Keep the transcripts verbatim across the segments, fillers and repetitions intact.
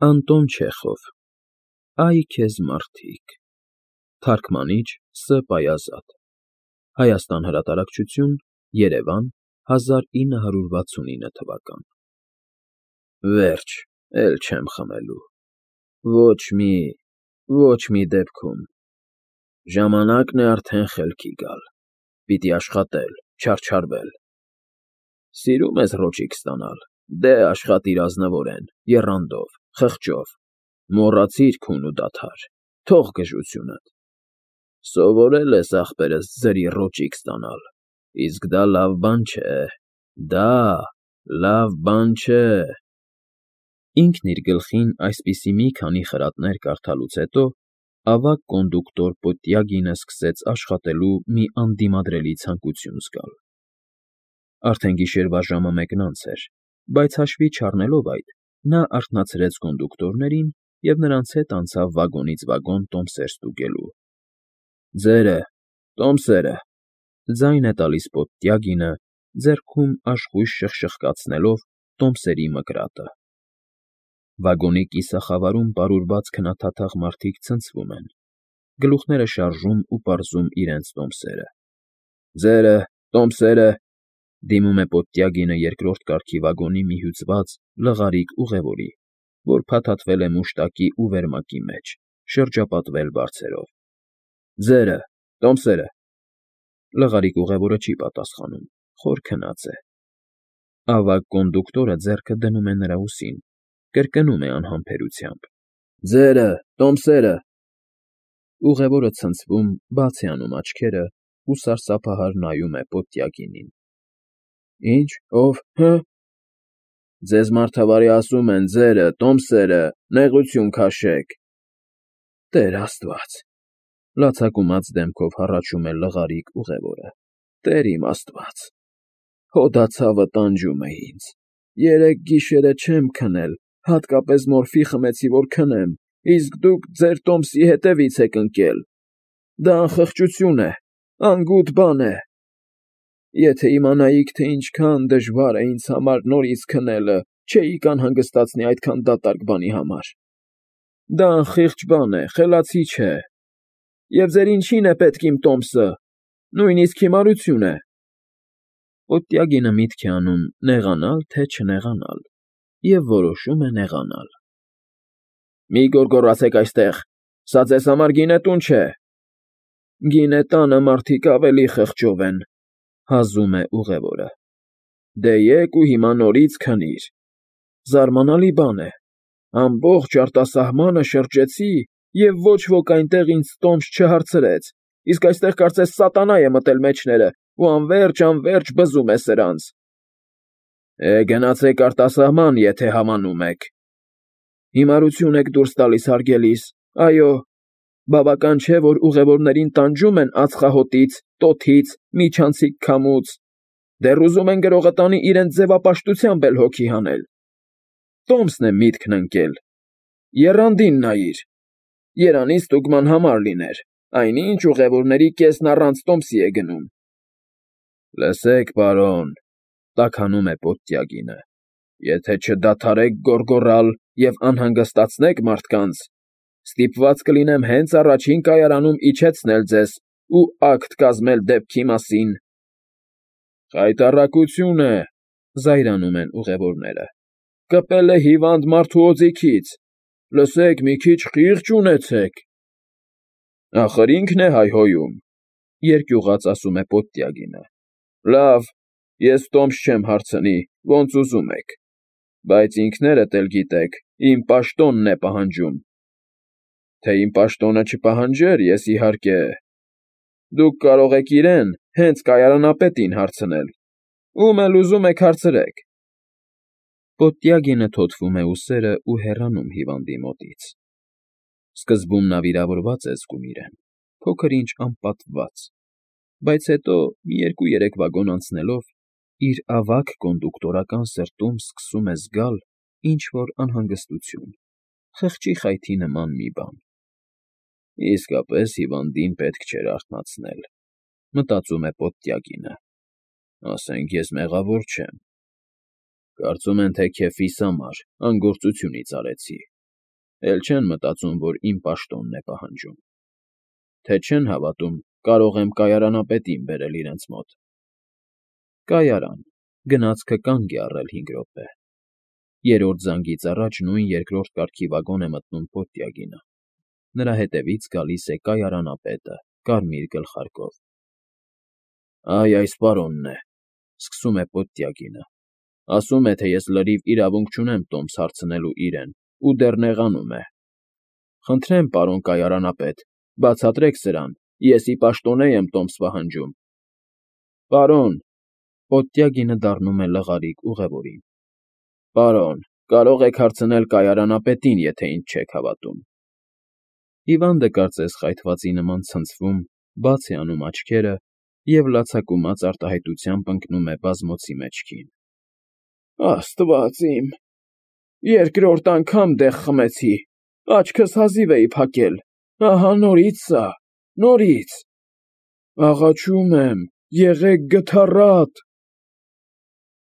Անտոն Չեխով Ա՛յ քեզ մարդիկ։ Թարգմանիչ Ս. Պայազատ Հայաստան հրատարակչություն, Երևան, հազար ինը հարյուր վաթսունինը թվական Վերջ, էլ չեմ խմելու, ոչ մի, ոչ մի դեպքում, ժամանակն է արդեն խելքի գալ, պիտի աշխատել, չարչարվել, սիրում ես ռոճիկ ստանալ, դե աշխատիր ազնվորեն, եռանդով, խղճով, մոռացիր քուն ու դադար, թող գժությունդ, սովորել ես ախպերս ձրի ռոճիկ ստանալ, իսկ դա լավ բան չէ, դա լավ բան չէ։ Ինքն իր գլխին այսպիսի մի քանի խրատներ կարդալուց հետո ավագ կոնդուկտոր Պոտյագինը սկսեց աշխատելու մի անդիմադրելի ցանկություն զգալ։ Արդեն գիշերվա ժամը մեկն անց էր, բայց հաշվի չառնելով այդ, նա արթնացրեց կոնդուկտորներին և նրանց հետ անցավ վագոնից վագոն տոմսեր ստուգելու։ Ձերը, տոմսերը, ձայն է տալիս Պոտյագինը, ձեռքում աշխույժ շխշխկացնելով տոմսերի մկրատը։ Վագոնի կիսախավարում պարուրված քնաթաթախ մարդիկ ցնցվում են, գլուխները շարժում ու պարզում իրենց տոմսերը։ Ձերը, տոմսերը, դիմում է Պոտյագինը երկրորդ կարգի վագոնի մի հյուծված, լղարիկ ուղևորի, որ փաթաթվել է մուշտակի ու վերմակի մեջ, շրջապատվել բարձերով։ Ձերը, տոմսերը։ Լղարիկ ուղևորը չի պատասխանում, խոր քնած է։ Ավագ կոնդուկտորը ձեռքը դնում է նրա ուսին, կրկնում է անհամբերությամբ. Ձերը, տոմսերը։ Ուղևորը ցնցվում, բաց է անում աչքերը ու սարսափահար նայում է Պոտյագինին։ Ի՞նչ, ով, հը։ Ձեզ մարդավարի ասում են, ձերը, տոմսերը, նեղություն քաշեք։ Տեր Աստված, լացակումած դեմքով հառաչում է լղարիկ ուղևորը, Տեր իմ Աստված, հոդացավը տանջում է ինձ, երեկ գիշերը չեմ քնել, հատկապես մորֆի խմեցի, որ քնեմ, իսկ դուք ձեր տոմսի հետևից եք ընկել, դա անխղճություն է, անգութ բան է, եթե իմանայիք, թե ինչքան դժվար է ինձ համար նորից քնելը, չէիք անհանգստացնի այդքան դատարկ բանի համար, դա անխիղճ բան է, խելացի չէ, և ձեր ինչին է պետք իմ տոմսը, նույնիսկ հիմարություն է։ Պոտյագինը միտք է անում նեղանալ, թե չնեղանալ, և որոշում է նեղանալ։ Մի գոռգոռացեք այստեղ, սա ձեզ համար գինետուն չէ։ Գինետանը մարդիկ ավելի խղճով են, հազում է ուղևորը։ Դե եկ ու հիմա նորից քնիր։ Զարմանալի բան է, ամբողջ արտասահմանը շրջեցի, և ոչ ոք այնտեղ ինձ տոմս չհարցրեց, իսկ այստեղ կարծես սատանա է մտել մեջները ու անվերջ֊անվերջ բզում է սրանց։ Է, գնացեք արտասահման, եթե համանում եք։ Հիմարություն եք դուրս տալիս, հարգելիս, այո, բավական չէ, որ ուղևորներին տանջում են ածխահոտից, տոթից, միջանցիկ քամուց, դեռ ուզում են գրողը տանի իրենց ձևապաշտությամբ էլ հոգի հանել։ Տոմսն է միտքն ընկել։ Եռանդին նայիր։ Երանի ստուգման համար լիներ, այնինչ ուղևորների կեսն առանց տոմսի է գնում։ Լսեք, պարոն, տաքանում է Պոտյագինը, եթե չդադարեք գոռգոռալ և անհանգստացնեք մարդկանց, ստիպված կլինեմ հենց առաջին կայարանում իջեցնել ձեզ ու ակտ կազմել դեպքի մասին։ Խայտառակություն է, զայրանում են ուղևորները, կպել է հիվանդ մարդու օձիքից, լսեք, մի քիչ խիղճ ունեցեք։ Ախր ինքն է հայհոյում, երկյուղած ասում է Պոտյագինը։ Լավ, ես տոմս չեմ հարցնի, ոնց ուզում եք, բայց ինքներդ էլ գիտեք, իմ պաշտոնն է պահանջում։ Թե իմ պաշտոնը չպահանջեր, ես իհարկե… Դուք կարող եք իրեն, հենց կայարանապետին հարցնել, ում էլ ուզում եք հարցրեք։ Պոտյագինը թոթվում է ուսերը ու հեռանում հիվանդի մոտից։ Սկզբում նա վիրավորված է զգում իրեն, փոքր-ինչ անպատվված, բայց հետո մի երկու֊երեք վագոն անցնելով, իր ավագ կոնդուկտորական սրտում սկսում է զգալ ինչ֊որ անհանգստություն, խղճի խայթի նման մի բան։ Իսկապես հիվանդին պետք չէր արթնացնել, մտածում է Պոտյագինը, ասենք ես մեղավոր չեմ, կարծում են, թե քեֆիս համար անգործությունից արեցի, էլ չեն մտածում, որ իմ պաշտոնն է պահանջում, թե չեն հավատում, կարող եմ կայարանապետին բերել իրենց մոտ։ Կայարան, գնացքը կանգ է առել հինգ րոպե։ Երրորդ զանգից առաջ նույն երկրորդ կարգի վագոն է մտնում Պոտյագինը։ Նրա հետևից գալիս է կայարանապետը, կարմիր գլխարկով։ Այ այս պարոնն է, սկսում է Պոտյագինը։ Ասում է, թե ես լրիվ իրավունք չունեմ տոմս հարցնելու իրեն, ու դեռ նեղանում է։ Խնդրեմ, պարոն կայարանապետ, բացատրեք սրան, ես ի պաշտոնե եմ տոմս պահանջում։ Պարոն, Պոտյագինը դառնում է լղարիկ ուղևորին։ Պարոն, կարող եք հարցնել կայարանապետին, եթե ինձ չեք հավատում։ Հիվանդը կարծես խայթվածի նման ցնցվում, բաց է անում աչքերը և լացակումած արտահայտությամբ ընկնում է բազմոցի մեջքին։ Աստված իմ, երկրորդ անգամ դեղ խմեցի, աչքս հազիվ էի փակել, ահա նորից սա, նորից։ Աղաչում եմ, եղեք գթառատ։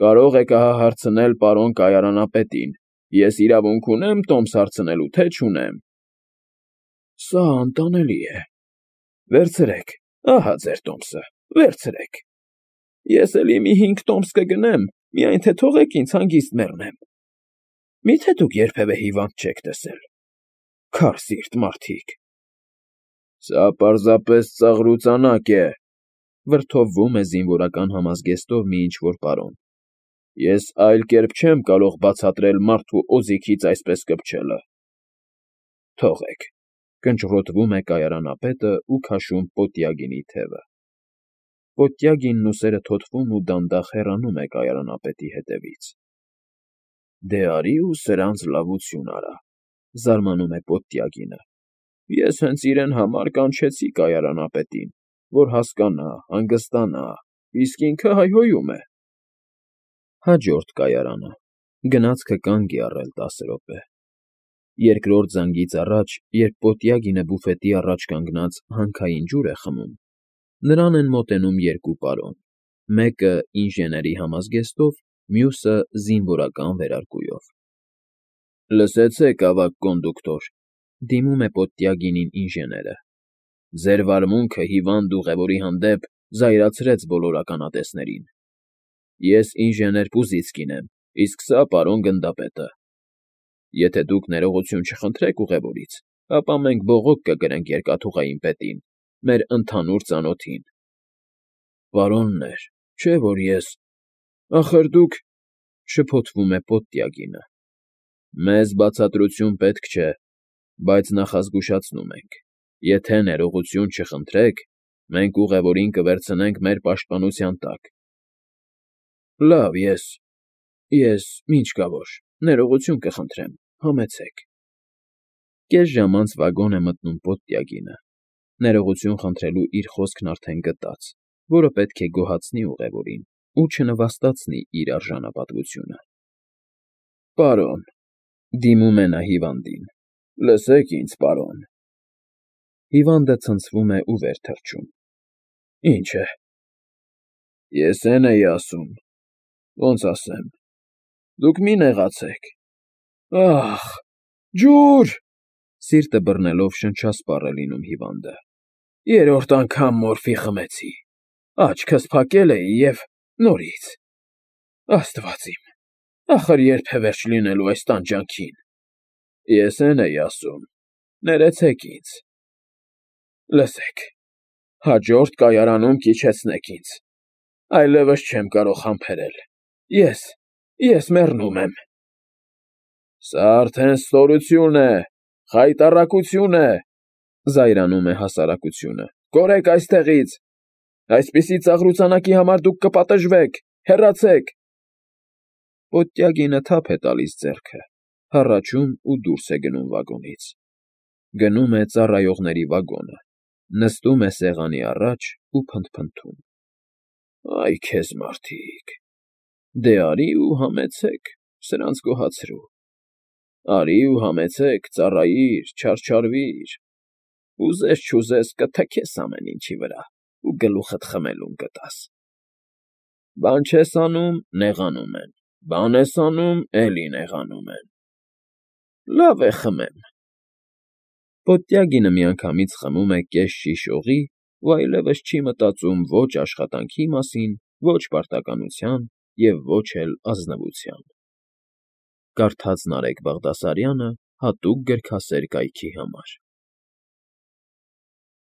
Կարող եք ահա հարցնել պարոն կայարանապետին, ես իրավունք ունեմ տոմս հարցնելու, թե չունեմ։ Սա անտանելի է։ Վերցրեք, ահա ձեր տոմսը, վերցրեք։ Ես էլի մի հինգ տոմս կգնեմ, միայն թե թողեք ինձ հանգիստ մեռնեմ։ Մի՞թե դուք երբևէ հիվանդ չեք տեսել։ Քարսիրտ մարդիկ։ Սա պարզապես ծաղրուծանակ է, վրդովվում է զինվորական համազգեստով մի ինչ-որ պարոն։ Ես այլ կերպ չեմ կարող բացատրել մարդու օձիքից այսպես կպչելը։ Թողեք, կնճռոտվում է կայարանապետը ու քաշում Պոտյագինի թևը։ Պոտյագինն ուսերը թոթվում ու դանդաղ հեռանում է կայարանապետի հետևից։ Դե արի ու սրանց լավություն արա, զարմանում է Պոտյագինը։ Ես հենց իրեն համար կանչեցի կայարանապետին, որ հասկանա, հանգստանա, իսկ ինքը հայհոյում է։ Հաջորդ կայարանը, գնացքը կանգ է առել տասը րոպե։ Երկրորդ զանգից առաջ, երբ Պոտյագինը բուֆետի առաջ կանգնած հանքային ջուր է խմում, նրան են մոտենում երկու պարոն, մեկը ինժեների համազգեստով, մյուսը զինվորական վերարկուով։ Լսեցեք, ավագ կոնդուկտոր, դիմում է Պոտյագինին ինժեները։ Ձեր վարմունքը հիվանդ ուղևորի հանդեպ զայրացրեց բոլոր ականատեսներին։ Ես ինժեներ Պուզիցկին եմ, իսկ սա պարոն գնդապետը։ Եթե դուք ներողություն չխնդրեք ուղևորից, ապա մենք բողոք կգրենք երկաթուղային պետին, մեր ընդհանուր ծանոթին։ Պարոններ, չէ՞ որ ես… Ախր դուք… շփոթվում է Պոտյագինը։ Մեզ բացատրություն պետք չէ, բայց նախազգուշացնում ենք, եթե ներողություն չխնդրեք, մենք ուղևորին կվերցնենք մեր պաշտպանության տակ։ Լավ, ես… ես… ինչ կա որ, ներողություն կխնդրեմ, համեցեք։ Կես ժամ անց վագոն է մտնում Պոտյագինը, ներողություն խնդրելու իր խոսքն արդեն գտած, որը պետք է գոհացնի ուղևորին ու չնվաստացնի իր արժանապատվությունը։ Պարոն, դիմում է նա հիվանդին, լսեք ինձ, պարոն։ Հիվանդը ցնցվում է ու վեր թռչում։ Ինչ է։ Ես էն էի ասում, ոնց ասեմ, դուք մի նեղացեք։ Ախ, ջուր… Սիրտը բռնելով շնչասպառ է լինում հիվանդը։ Երրորդ անգամ մորֆի խմեցի, աչքս փակել էի և նորից… Աստված իմ, ախր ե՞րբ է վերջ լինելու այս տանջանքին։ Ես էն էի ասում, ներեցեք ինձ։ Լսեք, հաջորդ կայարանում կիչեցնեք ինձ, այլևս չեմ կարող համբերել, ես… ես մեռնում եմ։ Սա արդեն ստորություն է, խայտառակություն է, զայրանում է հասարակությունը, կորեք այստեղից, այսպիսի ծաղրուծանակի համար դուք կպատժվեք, հեռացեք։ Պոտյագինը թափ է տալիս ձեռքը, հառաչում ու դուրս է գնում վագոնից։ Գնում է ծառայողների վագոնը, նստում է սեղանի առաջ ու փնթփնթում։ Այ քեզ մարդիկ… Դե արի ու համեցեք, սրանց գոհացրու։ Արի ու համեցեք, ծառայիր, չարչարվիր, ուզես֊չուզես կթքես ամեն ինչի վրա ու գլուխդ խմելուն կտաս։ Բան չես անում, նեղանում են, բան ես անում, էլի նեղանում են։ Լավ է, խմեմ, Պոտյագինը միանգամից խմում է կես շիշ օղի ու այլևս չի մտածում ոչ աշխատանքի մասին, ոչ պարտականության և ոչ էլ ազնվության։ Կարդաց Նարեկ Բաղդասարյանը հատուկ գրքասեր կայքի համար։